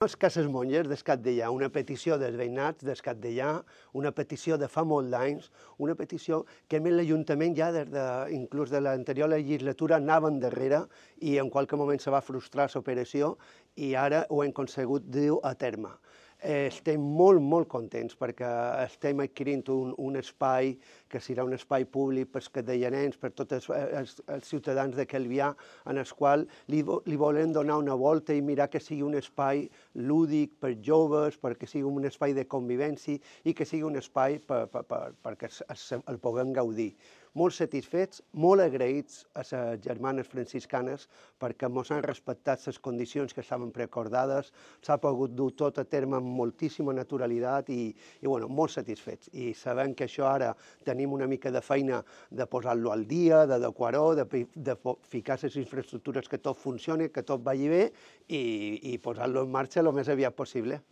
Les Cases Monges d'Escatdellà, una petició dels veïnats d'Escatdellà, una petició de fa molt d'anys, una petició que a més l'Ajuntament ja inclús de l'anterior legislatura anava endarrere i en qualque moment se va frustrar l'operació i ara ho hem aconsegut dur a terme. Estem molt contents perquè estem adquirint un espai que serà un espai públic pels cadellanencs, per tots els ciutadans de Calvià, en el qual li volem donar una volta i mirar que sigui un espai lúdic per joves, perquè sigui un espai de convivència i que sigui un espai perquè el puguem gaudir. Molt satisfets, molt agraïts a les germanes franciscanes perquè ens han respectat les condicions que estaven preacordades, s'ha pogut dur tot a terme amb moltíssima naturalitat i molt satisfets. I sabem que això ara tenim una mica de feina de posar-lo al dia, d'adequar-ho, de ficar les infraestructures que tot funcioni, que tot vagi bé i posar-lo en marxa el més aviat possible.